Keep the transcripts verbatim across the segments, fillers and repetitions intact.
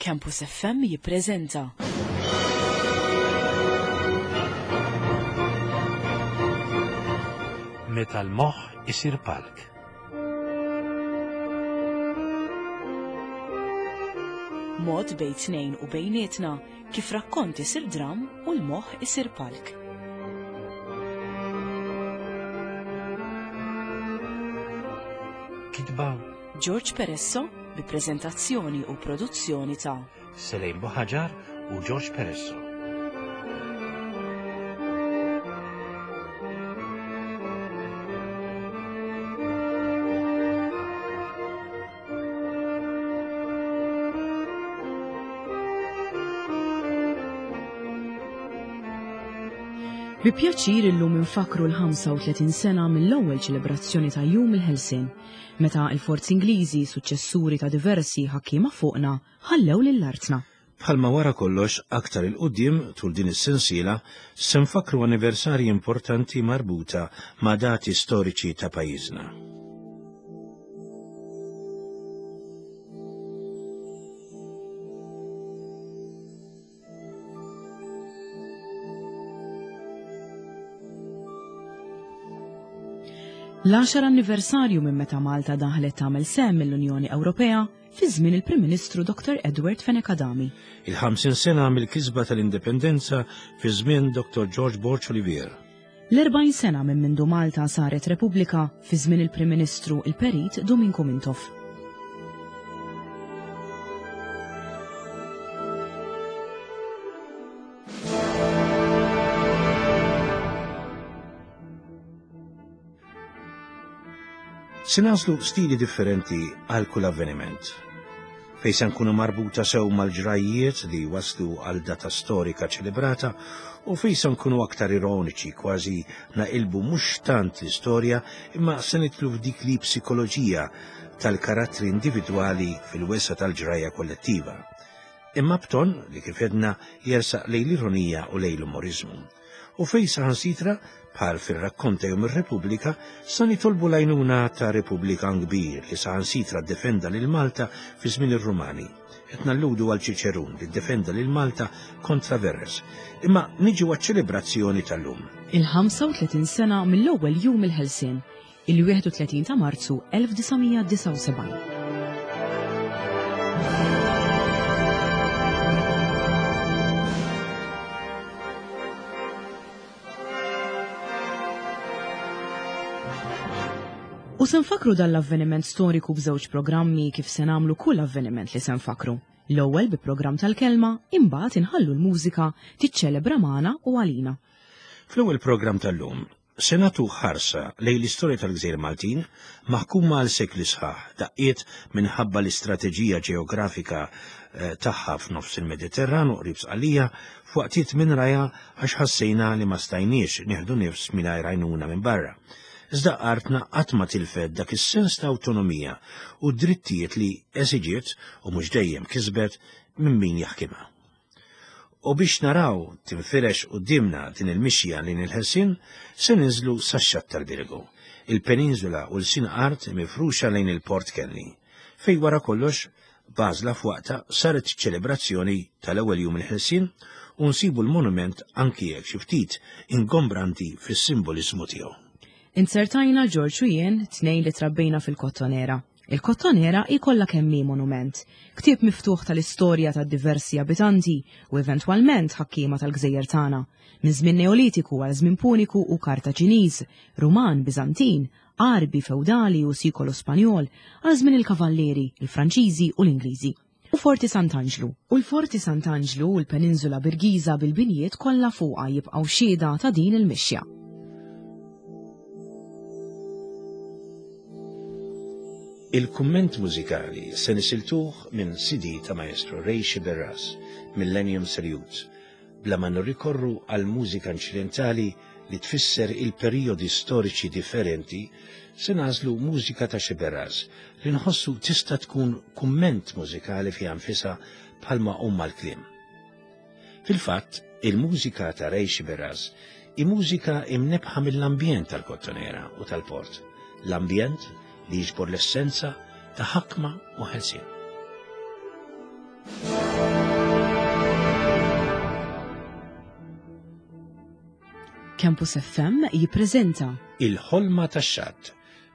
Campus F M jippreżenta Meta l-moħħ isir palk. Mod bejn tnejn u bejnietna kif rakkont isir dram u l-moħħ isir palk. Kitba George Peresso bi preżentazzjoni u produzzjoni ta' Selejn Buħaġar u George Peresso. Bi pjaċir illum infakru l-ħamsa u tletin sena mill-ewwel ċelebrazzjoni ta' Jum il-Ħelsien, meta il-forzi Ingliżi, suċċessuri ta' diversi ħakkiema fuqna, ħallew lil artna. Bħalma wara kollox aktar 'il quddiem tul din is-sensiela se nfakru anniversarji importanti marbuta ma' dati storiċi ta' pajjiżna. L-għaxar anniversarju minn meta Malta daħlet tagħmel sehem mill-Unjoni Ewropea fi żmien il-Prim Ministru Doktor Edward Fenech Adami. Il-ħamsin sena mill-kisba tal-indipendenza fi żmien Doktor George Borg Olivier. L-erbgħin sena minn mindu Malta saret Repubblika fi żmien il-Prim Ministru il-Perit Duminku Mintoff. Se nagħżlu stili differenti għal kull avveniment. Fejn se nkunu marbuta sew mal-ġrajiet li waslu għal data storika ċelebrata u fejn se nkunu aktar ironiċi, kważi naqilbu mhux tant l-istorja imma se nidħlu f'dik li psikoloġija tal-karattri individwali fil-wesa tal-ġrajja kollettiva. Imma b'ton li kif għedna jersaq lejn l-ironija u lejn l-umorizmu. U fejn saħansitra, bħal fir-rakkont ta' Jum ir-Repubblika, sa nitolbu l-għajnuna ta' Repubblikan kbir li saħansitra ddefenda lil Malta fi żmien ir-Rumani. Qed nalludu għal Ċiċerun li ddefenda lil Malta kontra Verres. Imma niġu għaċ-ċelebrazzjoni tal-lum. Il-ħamsa u tletin sena mill-ewwel Jum il-Ħelsien, il-wieħed u tletin ta' Marzu elf disa' mija disgħa u sebgħin. U se nfakru dan l-avveniment storiku b'żewġ programmi kif se nagħmlu kull avveniment li se nfakru. L-ewwel bi programm tal-kelma, imbagħad inħallu l-mużika tiċċelebra magħna u għalina. Fl-ewwel programm tal-lum se nagħtu ħarsa lejn l-istorja tal-Gżejjer Maltin maħkuma għal sekli sħaħ daqqiet minħabba l-istrateġija ġeografika eh, tagħha f'nofs il-Mediterran u qrib Sqallija, f'waqtiet minn raja għax ħassejna li ma stajniex nieħdu nifs mingħajr għajnuna minn barra. Iżda artna qatt ma tilfet dak is-sens ta' awtonomija u drittijiet li eżiġiet u mhux dejjem kisbet minn min jaħkimha. U biex naraw tinfirex quddiemna din il-mixja lejn il-ħelsien, se ninżlu sax-xatt tal-Birgu, il-peninsula u l-sin art mifruxa lejn il-Port Kenny, fejn wara kollox b'għażla f'waqta saret ċelebrazzjoni tal-ewwel jum il-ħelsien u nsibu l-monument anki jekk xi ftit ingombranti fis-simbolizmu tiegħu. Inzertajna George u jien tnejn li trabbejna fil-Kottonera. Il-Kottonera hi kollha kemm hi monument, ktieb miftuħ tal-istorja ta' diversi abitanti u eventwalment ħakkiema tal-gżejjer tagħna, minn żmien Neolitiku għal żmien Puniku u Kartaġiniż, Ruman, Biżantin, Arbi, Feudali u Sikolo Spanjol, għal żmien il-Kavallieri, il-Franċiżi u l-Ingliżi. U Forti Sant'Anġlu. U l-Forti Sant'Anġlu u l-Peninsula Birgiża bil-binjiet kollha fuqha jibqgħu xhieda ta' din il-mixja. Il-kumment mużikali se nisiltuh minn C D ta' Maestro Ray Sciberras, Millennium Salute, bla ma nirrikorru għal mużika inċidentali li tfisser il-perjodi storiċi differenti, se nagħżlu mużika ta' Sciberras li nħossu tista' tkun kumment mużikali fiha nfisha bħalma huma l-kliem. Fil-fatt, il-mużika ta' Ray Sciberras hi mużika imnebħa mill-ambjent tal-Kottonera u tal-Port, l-ambjent li jiġbor l-essenza ta' ħakma u ħelsien. Campus F M jippreżenta Il-Ħolma tax-Xatt,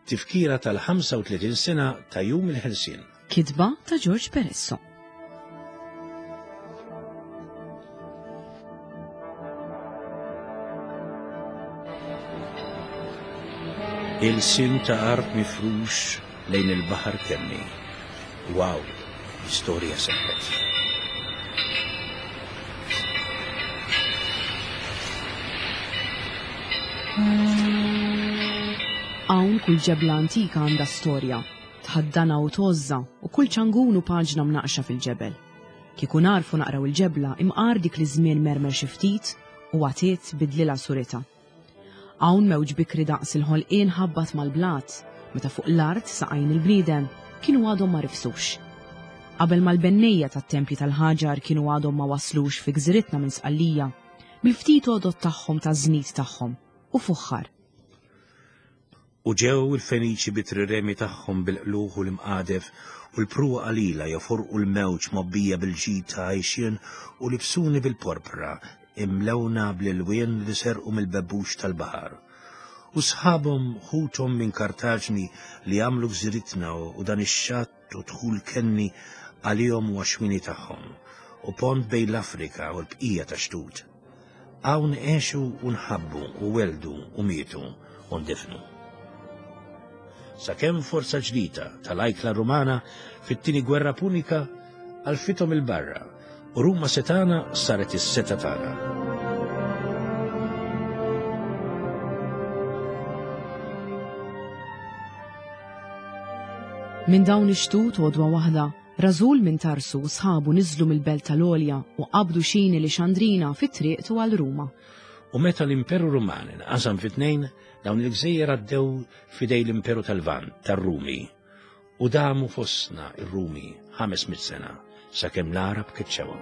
tifkira tal-ħamsa u tletin sena ta' Jum il-Ħelsien. Kitba ta' George Peresso. Il-sin ta' art mifrux lejn il-baħar kemmi. Wow, l-istorja seħħet. Hawn kull ġebla antika għandha storja, tħaddana u tożża u kull ċangun u paġna mnaqxa fil-ġebel. Kieku narfu naqraw il-ġebla imqar dik li żmien mermer xi ftit u għatiet bidlilha surita. Hawn mewġ bikri daqs il-ħolqien ħabbat mal-blat, meta fuq l-art saqajn il-bniedem kienu għadhom ma rifsux. Qabel mal-bennejja tat-tempji tal-ħaġar kienu għadhom ma waslux fi gżiritna minn Sqallija, bil-ftit għodod tagħhom ta' żnid tagħhom u fuħħar. U ġew il-Feniċi bit-triremi tagħhom bil-qluħ u l-imqadef u l-pruwa qalila joforqu l-mewġ mobbija bil-ġid ta' għajxien u libsuni bil-porpra imlewna bl-ilwien li serqu mill-bebbux tal-baħar. U sħabhom ħuthom minn Kartaġni li għamlu gżiritna u dan ix-xatt u dħul kenni għalihom u għaxwini tagħhom u pont bejn l-Afrika u l-bqija ta' xtut. Hawn għexu u nħabbu u weldu u mietu u ndifnu. Sakemm forza ġdida tal-ajkla Rumana fit-tieni gwerra Punika għalfithom il-barra u Ruma setana saret is-seta tagħna. Minn dawn ix-xtut għodwa waħda, rażul minn Tarsu u sħabu niżlu mill-belt tal-Olja u qabdu xini li Xandrina fit-triq tu għal Ruma. U meta l-Imperu Ruman inqasam fi tnejn, dawn il-gżejjer għaddew fidej l-Imperu tal-Lvant, tar-Rumi, u damu fostna ir-Rumi ħames mitt sena sakemm l-Għarab keċċewhom.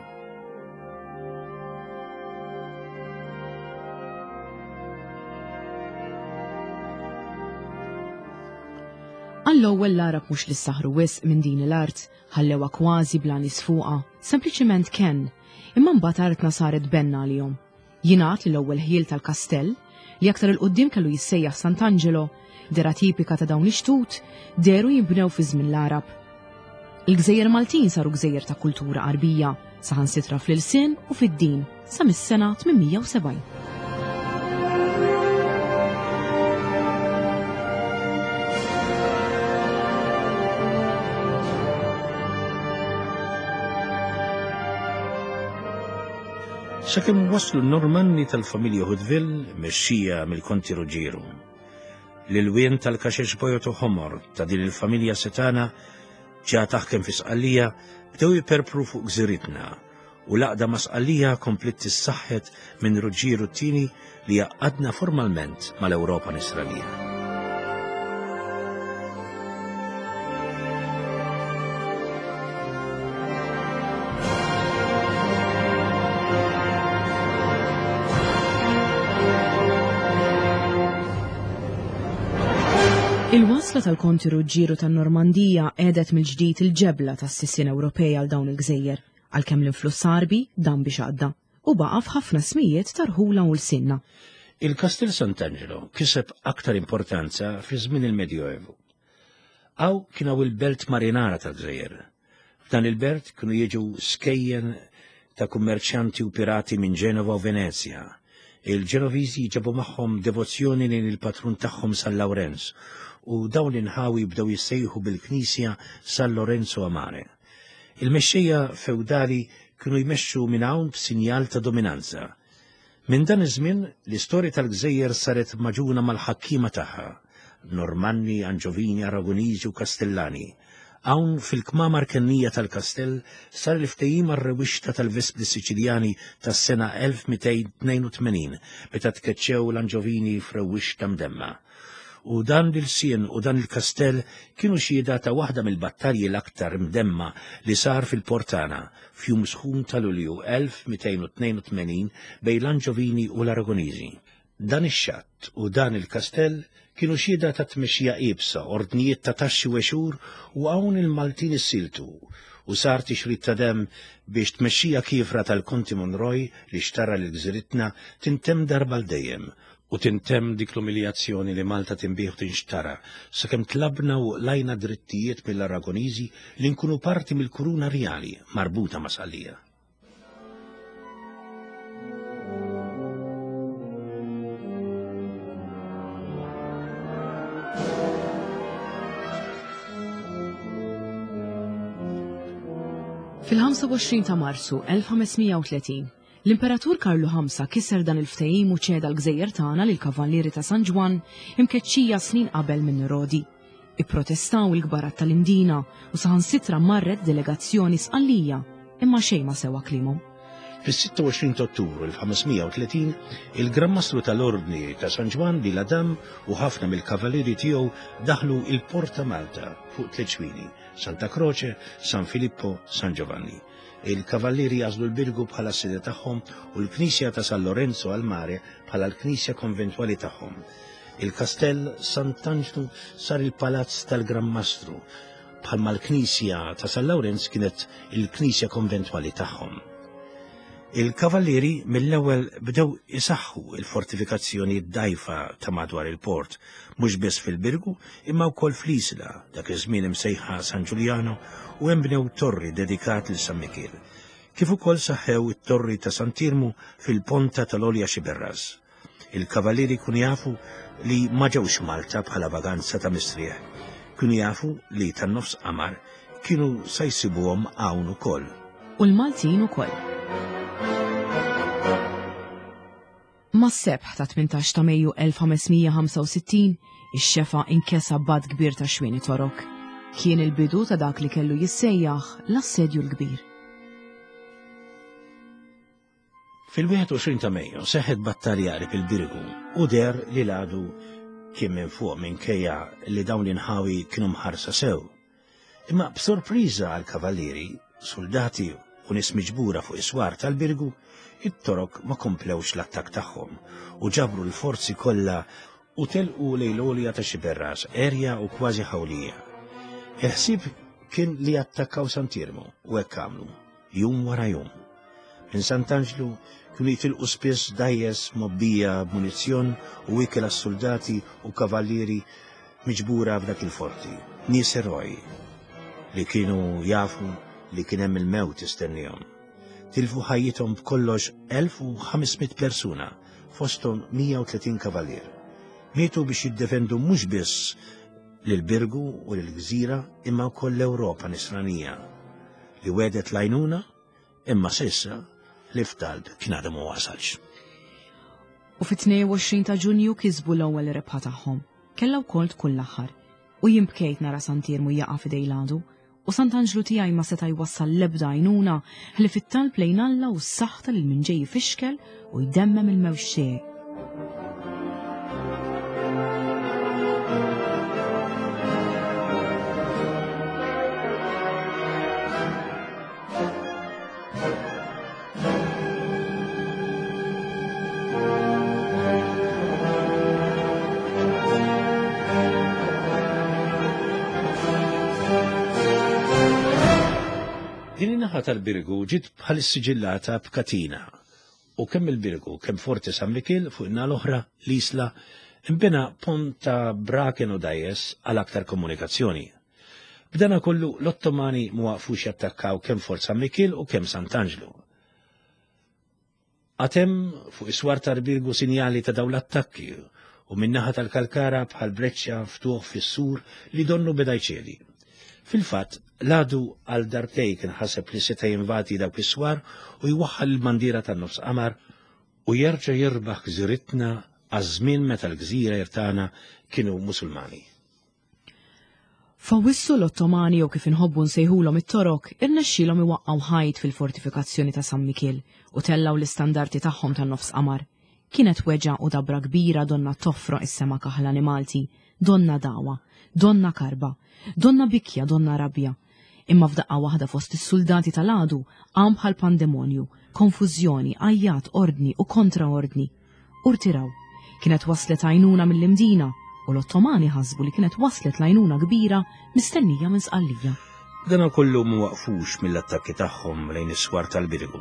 Għall-ewwel l-Għarab mhux li saħru wisq minn din l-art, ħallewha kważi bla nies fuqha, sempliċiment kenn, imma mbagħad artna saret benna għalihom. Jingħad li l-ewwel ħiel tal-kastell, li aktar il-qudiem kellu jissejjaħ Sant'Angelo, dera tipika ta' dawn ix-xtut, dehru jinbnew fi żmien l-Għarab. Il-Gżejjer Maltin saru gżejjer ta' kultura Għarbija, saħansitra fl-ilsien u fid-din sa mis-sena tmien mija u sebgħin. Sakemm waslu n-Normanni tal-familja Hauteville mexxija mill-Konti Ruggiero. L-ilwien tal-kaxex bojot u ħomor ta' din il-familja setana ġa taħkem fi Sqallija bdew jiperpru fuq gżiritna u l-għaqda ma' Sqallija kompliet tissaħħet minn Ruggiero t-tieni li għaqqadna formalment mal-Ewropa Nisranija. Il-wasla tal-Konti Ruggiero tan-Normandija qiegħdet mill-ġdid il-ġebla tas-sisien Ewropej għal dawn il-gżejjer, għalkemm l-influss Għarbi dan biex għadda u baqa' f'ħafna smijiet tarħula u l-sinna. Il-Kastel Sant'Angelo kiseb aktar importanza fi żmien il-Medjoevu. Hawn kien hawn il-belt marinara tal-gżejjer. F'dan il-belt kienu jiġu skejjen ta' kummerċjanti u pirati minn Ġenova u Venezja. Il-Ġenoviżi ġabu magħhom devozzjoni lejn il-patrun tagħhom San Lawrenz u dawn l-inħawi bdew jissejħu bil-Knisja San Lorenzo a Mare. Il-mexxejja feudali kienu jmexxu minn hawn b'sinjal ta' dominanza. Minn dan iż-żmien l-istorja tal-gżejjer saret maġuna mal-ħakkiema tagħha, Normanni, Anġovini, Aragoniżi u Kastellani. Hawn fil-kmamar kennija tal-kastell sar il-ftehim għar-rewwixta tal-Vespri Siċiljani tas-sena elf mitejn tnejn u tmenin meta tkeċċew l-Anġovini f'rewwixta mdemma. U dan l-sien u dan il-kastell kienu xhieda ta' waħda mill-battalji l-aktar mdemma li sar fil-Portana f'jum sħun ta' Lulju elf mitejn u tnejn u tmenin bejn l-Anġovini u l-Aragoniżi. Dan ix-xatt u dan il-kastell kienu xhieda ta' tmexxija iebsa, ordnijiet ta' taxxi u għexur u hawn il-Maltin issiltu u sar tixrid ta' demm biex tmexxija kiefra tal-Konti Monroy li xtara lil gżiritna tintemm darba l dejjem. U tintemm dik l-umiljazzjoni li Malta tinbiegħ u tinxtara, sakemm tlabna u lajna drittijiet mill-Aragoniżi li nkunu parti mill-kuruna rjali marbuta ma' Sqallija. Fil-ħamsa u għoxrin ta' Marzu elf ħames mija u tletin, l-Imperatur Karlu ħamsa kisser dan il-ftehim u ċeda l-gżejjer tagħna lil kavallieri ta' San Ġwann imkeċċija snin qabel minn Rodi. Ipprotestaw il-kbarat tal-Imdina u saħansitra marret delegazzjoni Sqallija, imma xejn ma sewa kliemhom. Fis-sitta u għoxrin ta' Ottubru elf ħames mija u tletin, il-Gran Mastru tal-Ordni ta' San Ġwann di Ladam u ħafna mill-kavallieri tiegħu daħlu il-Porta Malta fuq tliet xwini, Santa Croce, San Filippo, San Giovanni. Il-kavallieri għażlu l-Birgu bħala s-sede tagħhom u l-Knisja ta' San Lorenzo al Mare bħala l-Knisja konventwali tagħhom. Il-Kastell Sant'Anġlu sar il-Palazz tal-Gran Mastru, bħalma l-Knisja ta' San Lawrenz kienet il-Knisja konventwali tagħhom. Il-kavallieri mill-ewwel bdew isaħħu il-fortifikazzjoni d-dajfa ta' madwar il-port, mhux biss fil-Birgu imma wkoll fl-Isla, dak iż-żmien imsejħa San Giuliano, u hemm bnew torri dedikat lil San Mikiel. Kif ukoll saħħew it-torri ta' Sant'Irmu fil-ponta tal-Olja Xiberras. Il-kavallieri kienu jafu li ma ġewx Malta bħala vaganza ta' mistrieħ. Kienu jafu li tan-nofs qamar kienu sa jsibuhom hawn ukoll. U l-Maltin ukoll. Mas-sebħ ta' tmintax ta' Mejju elf ħames mija ħamsa u sittin, ix-xefa inkesa b'għadd kbir ta' xwieni torok. Kien il-bidu ta' dak li kellu jissejjaħ l-assedju l-kbir. Fil-wieħed u għoxrin ta' Mejju seħħet battalja qrib il-Birgu u der li l-għadu kien minn fuq minkejja li dawn l-inħawi kienu mħarsa sew. Imma b'sorpriża għall-kavallieri, soldati u nies miġbura fuq is-swar tal-Birgu, it-Torok ma komplewx l-attakk tagħhom u ġabru l-forzi kollha u telqu lejn l-għolja ta' Xiberras, erja u kważi ħawlija. Il-ħsieb kien li attakkaw Sant'Irmu u hekk għamlu, jum wara jum. Minn Sant'Anġlu kienu jitilqu spiss dajjes mobbija b'munizzjon u ikel għas-soldati u kavallieri miġbura f'dak il-forti, nies eroj li kienu jafu li kien hemm il-mewt istennihom. Tilfu ħajjithom b'kollox elf u ħames mitt persuna, fosthom mija u tletin kavallier. Mietu biex jiddefendu mhux biss lil Birgu u lil Gżira imma wkoll l-Ewropa nisranija li wedet lajnuna imma s'issa li f'talb kien għadu ma wasalx. U fit-tnejn u għoxrin ta' Ġunju kisbu l-ewwel rebħa tagħhom. Kellha wkoll tkun l-aħħar. U jien bkejt nara Sant'Irmu jaqa' f'idej l-għadu, u Sant'Anġlu tiegħi ma seta' jwassal l-ebda għajnuna ħlief fit-talb lejn Alla u s-saħta lil min ġej jfixkel u jdemmem il-mewġ tiegħi. Din in-naħa tal-Birgu ġiet bħal issiġillata b'katina u kemm il-Birgu kemm Forti San Mikiel fuq in-naħa l-oħra l-Isla imbena pont ta' braken u dajjes għal aktar komunikazzjoni. B'dana kollu l-Ottomani ma waqfux jattakkaw kemm Fort San Mikiel u kemm Sant'Anġlu. Għatem fuq is-swar tal-Birgu sinjali ta' dawn l-attakki u min-naħa tal-Kalkara bħal breċċa ftuħ fis-sur li donnu beda jċedi. Fil-fatt, l-għadu għal darbtej kien ħaseb li seta' jinvadi dawk is-swar u jwaħħal il-bandiera tan-nofs qamar u jerġa' jirbaħ gżiritna għaż-żmien meta l-gżira tagħna kienu Musulmani. F'Awwissu l-Ottomani jew kif inħobbu nsejħulhom it-Torok irnexxielhom iwaqqgħu ħajt fil-fortifikazzjoni ta' San Mikiel u tellgħu l-istandarti tagħhom tan-nofs qamar. Kienet weġgħa u dabra kbira donna toffroq is-sema kaħlani Malti, donna dawa, donna karba, donna bikja, donna rabja. Imma f'daqqa waħda fost is-soldati tal-għadu qam bħal pandemonju, konfużjoni, għajjat, ordni u kontraordni. Urtiraw, kienet waslet għajnuna mill-Imdina u l-Ottomani ħasbu li kienet waslet l-għajnuna kbira mistennija minn Sqallija. Dana kollu ma waqfux mill-attakki tagħhom lejn is-swar tal-Birgu.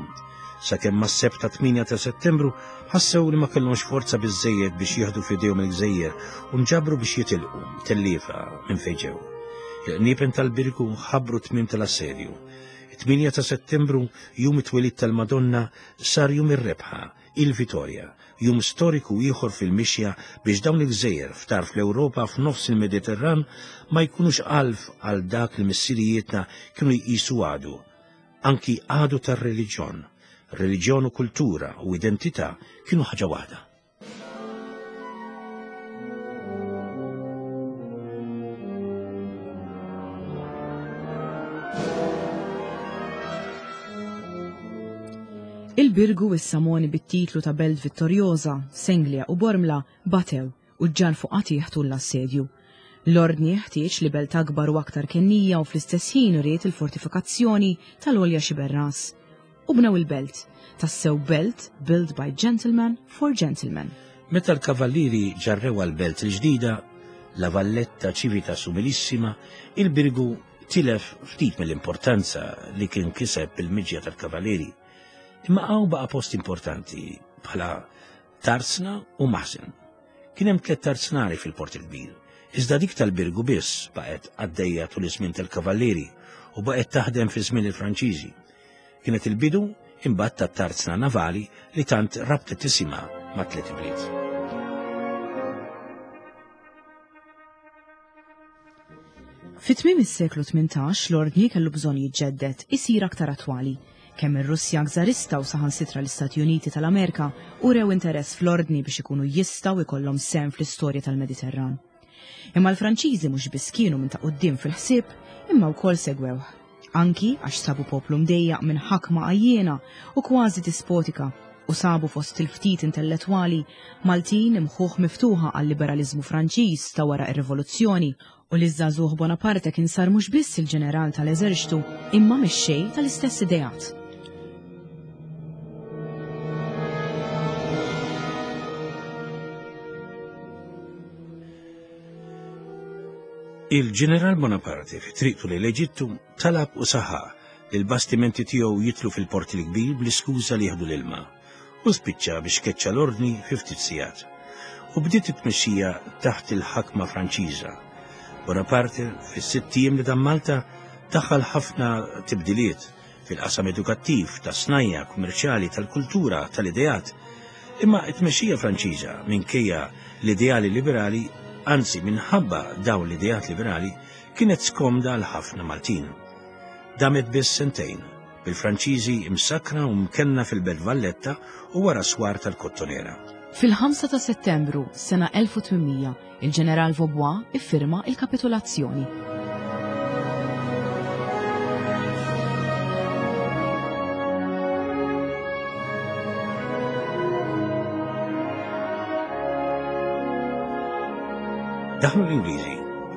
Sakemm mas-Sebt ta' tmienja ta' Settembru ħassew li ma kellhomx forza biżżejjed biex jieħdu f'idejhom il-gżejjer u nġabru biex jitilqu telliefa minn fejn ġew. Il-qniepen tal-Birgu ħabbru t-tmiem tal-assedju. It-tmienja ta' Settembru, jum it-twelid tal-Madonna, sar jum ir-rebħa, il-Vitorja, jum storiku ieħor fil-mixja biex dawn il-gżejjer f'tarf l-Ewropa f'nofs il-Mediterran ma jkunux għalf għal dak li missirijietna kienu jqisu għadu, anki għadu tar-reliġjon. Reliġjon u kultura u identità kienu ħaġa waħda. Il-Birgu issa moni bit-titlu ta' Belt Vittoriosa, Senglea u Bormla batew u ġġarfu qatih tul l-assedju. L-ordni ħtieġ li belt akbar u aktar kennija u fl-istess ħin ried il-fortifikazzjoni tal-għolja Xiberras. U bnew il-belt, tassew belt built by gentlemen for gentlemen. Meta l-kavallieri ġarrew għal-belt il-ġdida, la Valletta Civitas Umilissima, il-Birgu tilef ftit mill-importanza li kien kiseb bil-miġja tal-kavallieri. Imma hawn baqa' post importanti bħala tarzna u maħżen. Kien hemm tliet tarznari fil-Port il-Kbir, iżda dik tal-Birgu biss baqgħet għaddejja tul iż-żmien tal-Kavallieri u baqgħet taħdem fi żmien il-Franċiżi. Kienet il-bidu imbagħad tat-tarzna navali li tant rabtet isimha ma' tliet ibliet. Fi tmiem is-seklu tmintax l-ordni kellu bżonn jiġġedded, isir aktar attwali. Kemm ir-Russja gżarista u saħansitra l-Istati Uniti tal-Amerika urew interess fl-ordni biex ikunu jistgħu jkollhom sehem fl-istorja tal-Mediterran. Imma l-Franċiżi mhux biss kienu minn ta' quddiem fil-ħsieb, imma wkoll segwewh. Anki għax sabu poplu mdejjaq minn ħakma għajjena u kważi dispotika u sabu fost il-ftit intellettwali Maltin imħuħ miftuħa għal-liberalizmu Franċiż ta' wara ir-rivoluzzjoni u li żagħżugħ Bonaparte kien sar mhux biss il-ġeneral tal-eżerċtu imma mexxej tal-istess ideat. Il-ġeneral Bonaparte fi triqtu lejn l-Eġittu talab u saħaq li l-bastimenti tiegħu jitlu fil-Port il-Kbir bl-iskuża li jieħdu l-ilma u spiċċa biex keċċa l-ordni fi ftit sigħat. U bdiet it-tmexxija taħt il-ħakma Franċiża. Bonaparte fis-sitt ijiem li dam Malta daħal ħafna tibdiliet fil-qasam edukattiv, tas-snajja, kummerċjali, tal-kultura, tal-ideat. Imma t-tmexxija Franċiża minkejja l-ideali liberali, anzi minħabba dawn l-ideat liberali, kienet skomda għal ħafna Maltin. Damet biss sentejn, bil-Franċiżi imsakra u mkenna fil-Belt Valletta u wara swar tal-Kottonera. Fil-ħamsa ta' Settembru sena elf u tmien mija, il-ġeneral Vaubois iffirma il-kapitolazzjoni. Daħlu l-Ingliżi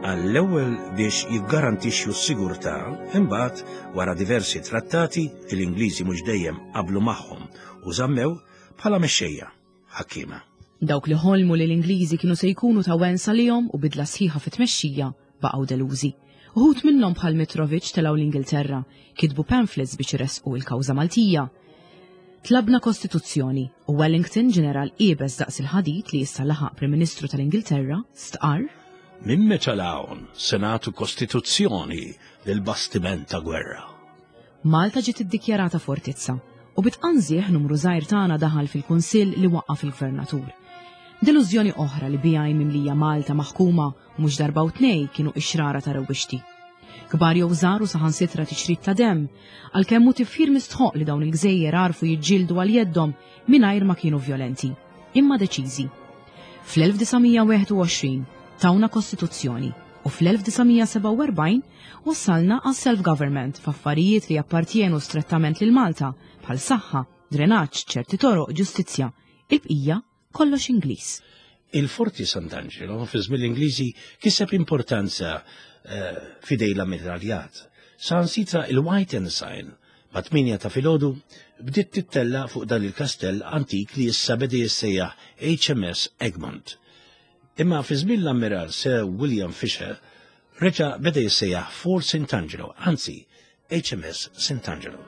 għall-ewwel biex jiggarantixxu s-sigurtà, imbagħad wara diversi trattati li l-Ingliżi mhux dejjem qablu magħhom u żammew bħala mexxejja ħakkiema. Dawk li ħolmu li l-Ingliżi kienu se jkunu ta' wensa lihom u bidla sħiħa fit-tmexxija baqgħu delużi. Uħud minnhom bħal Mitrovic telgħu l-Ingilterra, kitbu pamphlets biex iressqu il-kawża Maltija. Tlabna kostituzzjoni u Wellington, ġeneral iebes daqs il-ħadid li issa laħaq Prim Ministru tal-Ingilterra, stqarr: Minn meta l-hawn senatu kostituzzjoni lil bastiment ta' gwerra. Malta ġiet iddikjarata fortizza u bitqanżieħ numru żgħir tagħna daħal fil-Kunsill li waqqaf il-Gvernatur. Delużjoni oħra li bija mimlija Malta maħkuma u mhux darba u tnej kienu ixrara ta' rewwixti. Kbar jew żgħar u saħansitra tixrid ta' demm, għalkemm hu tifħir mistħoq li dawn il-gżejjer għarfu jiġġieldu għal jeddhom mingħajr ma kienu vjolenti, imma deċiżi. Fl-elf disa' mija wieħed u għoxrin tawna kostituzzjoni u fl-elf disa' mija sebgħa u erbgħin wassalna għas self-government f'affarijiet li jappartjenu strettament lil Malta bħal saħħa, drenaġġ, ċerti toroq, ġustizzja, il-bqija kollox Ingliż. Il-Forti Sant'Angelo fi żmien l-Ingliżi kiseb importanza, eh, fidej l-ammiraljat. Sansitra il-White Ensign ma' tminja ta' filgħodu bdiet tittella fuq dan il-kastell antik li issa beda jissejjaħ H M S Egmont. Imma fi żmien l-ammiral Sir William Fisher, Reġa' beda jissejjaħ Fort Sant'Angelo, anzi H M S Sant'Angelo.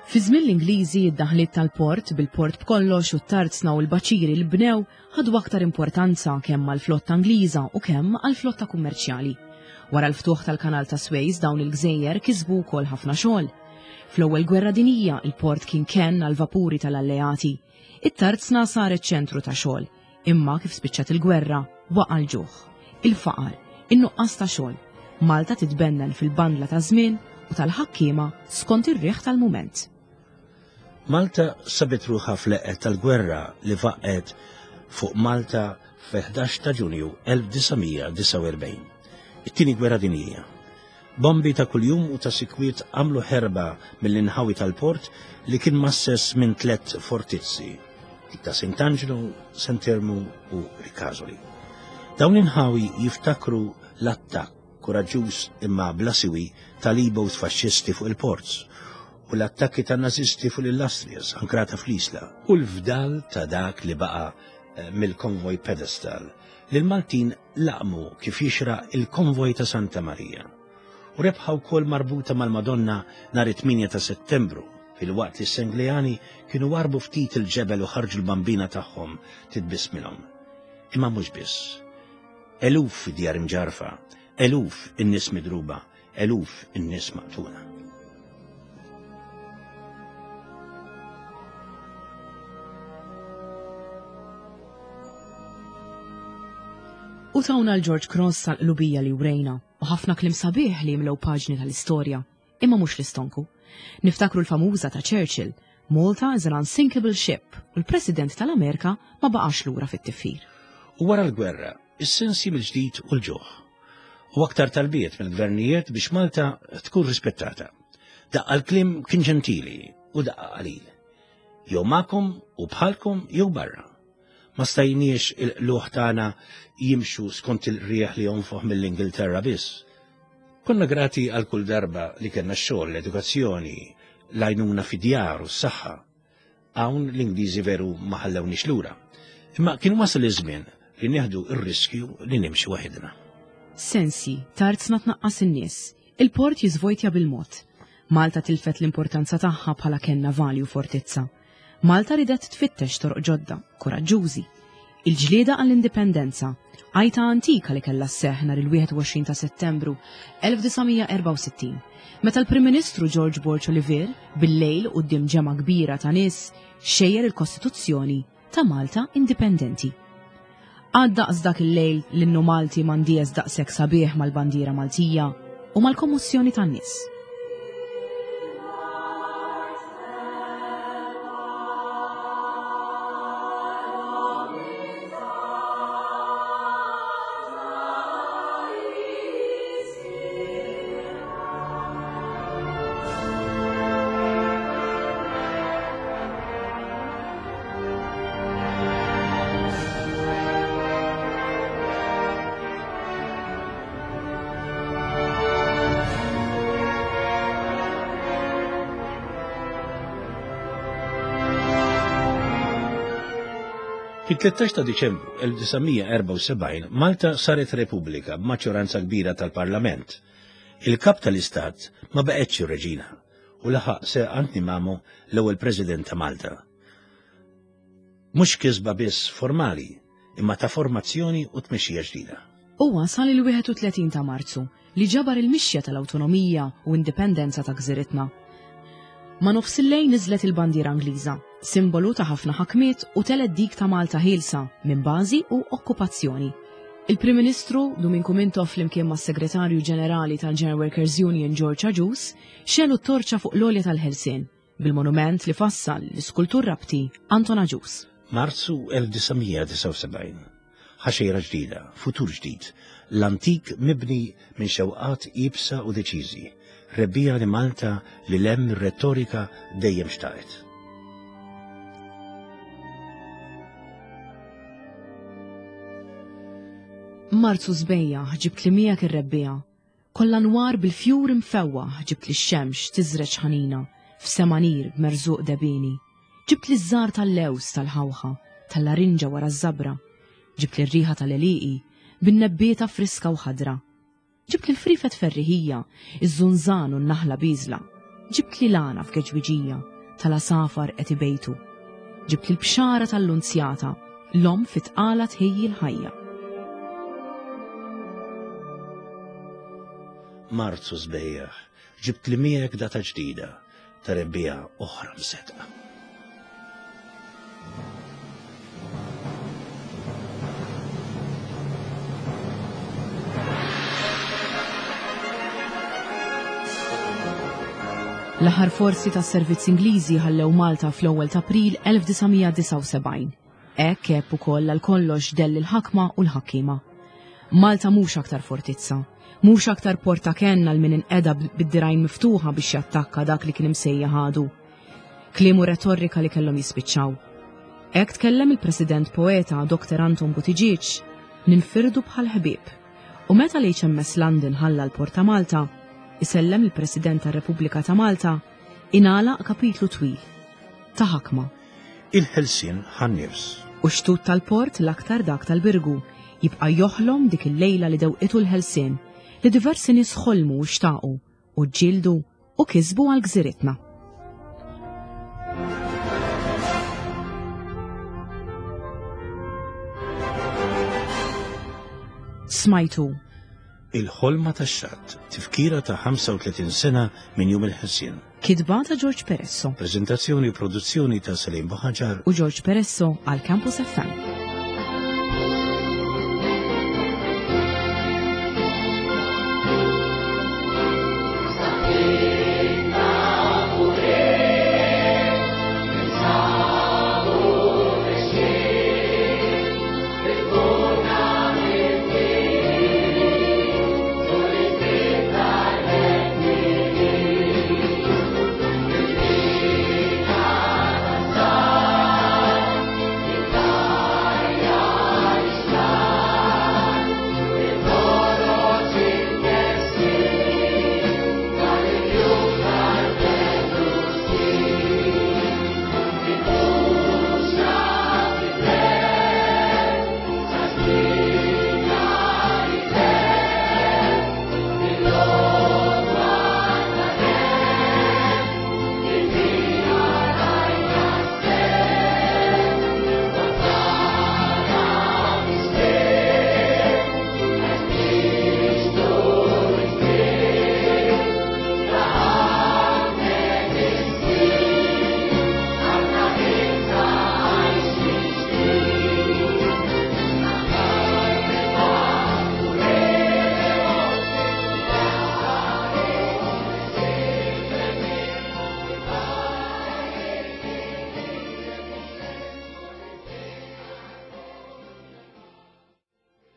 Fi żmien l-Ingliżi, id-daħliet tal-port bil-port b'kollox u t-tarzna u l-baċiri li bnew ħadu aktar importanza kemm għall-flotta Ingliża u kemm għall-flotta kummerċjali. Wara l-ftuħ tal-Kanal ta' Suez, dawn il-gżejjer kisbu wkoll ħafna xogħol. Fl-ewwel gwerra dinija, il-port kien kenn għal vapuri tal-alleati. It-tarzna saret ċentru ta' xogħol, imma kif spiċċat il-gwerra waqa' l-ġuħ, il-faqar, in-nuqqas ta' xogħol. Malta titbennen fil-bandla ta' żmien u tal-ħakkiema skont ir-riħ tal-mument. Malta sabet ruħha fl-eqqel tal-gwerra li faqqgħet fuq Malta fil-ħdax ta' Ġunju elf disa' mija disgħa u erbgħin. It-tieni gwerra dinjija. Bombi ta' kuljum u ta' sikwiet għamlu ħerba mill-inħawi tal-port li kien mgħasses minn tlet fortizzi, dik ta' Sant'Angelo, Sant'Ermu u Ricasoli. Dawn l-inħawi jiftakru l-attakk kuraġġuż imma bla siwi tal-E-boat faxxisti fuq il-ports u l-attakki tan nazisti fuq l-Illustrious ankrata fl-Isla u l-fdal ta' dak li baqa eh, mill-konvoj Pedestal li l-Maltin laqmu kif jixraq il-konvoj ta' Santa Maria. U rebħa wkoll marbuta mal-Madonna nhar it-tmienja ta' Settembru, filwaqt li s-Sengleani kienu warbu ftit il-ġebel u ħarġu l-bambina tagħhom titbissmilhom. Imma mhux biss. Eluf djar imġarfa, eluf in-nies midruba, eluf in-nies maqtula. U tawna l-George Cross tal-qlubija li wrejna u ħafna kliem sabiħ li jimlew paġni tal-istorja, imma mhux l-istonku. Niftakru l-famuża ta' Churchill, "Malta is an unsinkable ship", u l-President tal-Amerika ma baqax lura fit-tifħir. U wara l-gwerra, is-sensji mill-ġdid u l-ġuħ. U aktar talbiet mill-gvernijiet biex Malta tkun rispettata. Daqqa l-kliem kien ġentili u daqqa qalil. Jew magħkom u bħalkom jew barra. Ma stajniex il-qlugħ tagħna jimxu skont il-rieħ li jonfoħ mill-Ingilterra biss. Konna grati għal kull darba li kellna x-xogħol, l-edukazzjoni, l-għajnuna fid-djar u s-saħħa. Hawn l-Ingliżi veru ma ħallewniex lura. Imma kien wasal iż-żmien li nieħdu ir-riskju li nimxu waħedna. Sensi, tarzna tnaqqas in-nies, il-port jiżvojtja bil-mod. Malta tilfet l-importanza tagħha bħala kenn navali u fortizza. Malta ridet tfittex toroq ġodda, kuraġġużi. Il-ġlieda għall-indipendenza, għajta antika li kellha sseħħ nhar il-wieħed u għoxrin ta' Settembru elf disa' mija erbgħa u sittin, meta l-Prim Ministru George Borg Olivier bil-lejl quddiem ġemgħa kbira ta' nies xejjer il-Kostituzzjoni ta' Malta Indipendenti. Għad daqs dak il-lejl l-innu Malti m'għandies daqshekk sabiħ mal-bandiera Maltija u mal-kommossjoni tan-nies. Fit-tlettax ta' Diċembru elf disa' mija erbgħa u sebgħin Malta saret Repubblika b'maġġoranza kbira tal-Parlament. Il-kap tal-Istat ma baqgħetx ir-Reġina u laħaq Sir Anthony Mamo l-ewwel President ta' Malta. Mhux kisba biss formali, imma ta' formazzjoni u tmexxija ġdida. U wasal il-wieħed u tletin ta' Marzu li ġabar il-mixja tal-awtonomija u indipendenza ta' gżiritna. Ma' nofs il-lejl niżlet il-bandiera Ingliża, simbolu ta' ħafna ħakmiet, u telgħet dik ta' Malta ħielsa minn bażi u okkupazzjoni. Il-Prim Ministru Duminku Mintoff flimkien mas-Segretarju Ġenerali tal-General Workers Union George Agius xegħlu t-torċa fuq l-għolja tal-Ħelsien bil-monument li fassal l-iskultur Rabti Anton Agius. Marzu elf disa' mija disgħa u sebgħin. Ħaxejra ġdida, futur ġdid, l-antik mibni minn xewqat iebsa u deċiżi, rebbiegħa li Malta li lem retorika dejjem xtaqet. Marzu sbejjaħ, ġibt li miegħek ir-rebbiegħa. Kollha nwar bil-fjur imfewwaħ ġibtli x-xemx tiżreġ ħanina f'sema nir b'merżuq debini. Ġibtli ż-żahar tal-lewż tal-ħawħa, tal-larinġa wara ż-żabra. Ġibtli r-riħa tal-għelieqi bin-nebbieta friska u ħadra. Ġibtli l-frifet ferriħija, iż-żunżan u n-naħla biżla. Ġibtli l-għana f'geġwiġija tal-għasafar qed ibejtu. Ġibtli l-bxara tal-lunzjata, l-omm fit-tqala tħejji l-ħajja. Marzu sbejjaħ, ġibtli miegħek data ġdida, ta' rebbiegħa oħra msedqa. L-aħħar forzi tas-servizz Ingliżi ħallew Malta fl-ewwel ta' April elf disa' mija disgħa u sebgħin. Hekk għeb ukoll għal kollox dell il-ħakma u l-ħakkiema. Malta mhux aktar fortizza, mhux aktar porta kenn għal min inqeda bid-dirgħajn miftuħa biex jattakka dak li kien imsejjaħ għadu. Kliem u retorika li kellhom jispiċċaw. Hekk tkellem il-President poeta Doktor Anton Buttigieg, ninfirdu bħal ħbieb. U meta l-H M S London ħalla l-Port ta' Malta, isellem il-President tar-Repubblika ta' Malta, ingħalaq kapitlu twil ta' ħakma. Il-ħelsien ħan-nifs. U xtut tal-port l-aktar dak tal-Birgu jibqa' joħlom dik il-lejla li dewqitu l-ħelsien li diversi nies ħolmu u xtaqu u ġġieldu u kisbu għal gżiritna. Smajtu Il-ħolma tax-xatt, tifkira ta' ħamsa u tletin sena minn jum il-ħelsien. Kitba ta' George Peresso. Prezentazzjoni u produzzjoni ta' Salim Buhaġar u George Peresso għal Campus F M.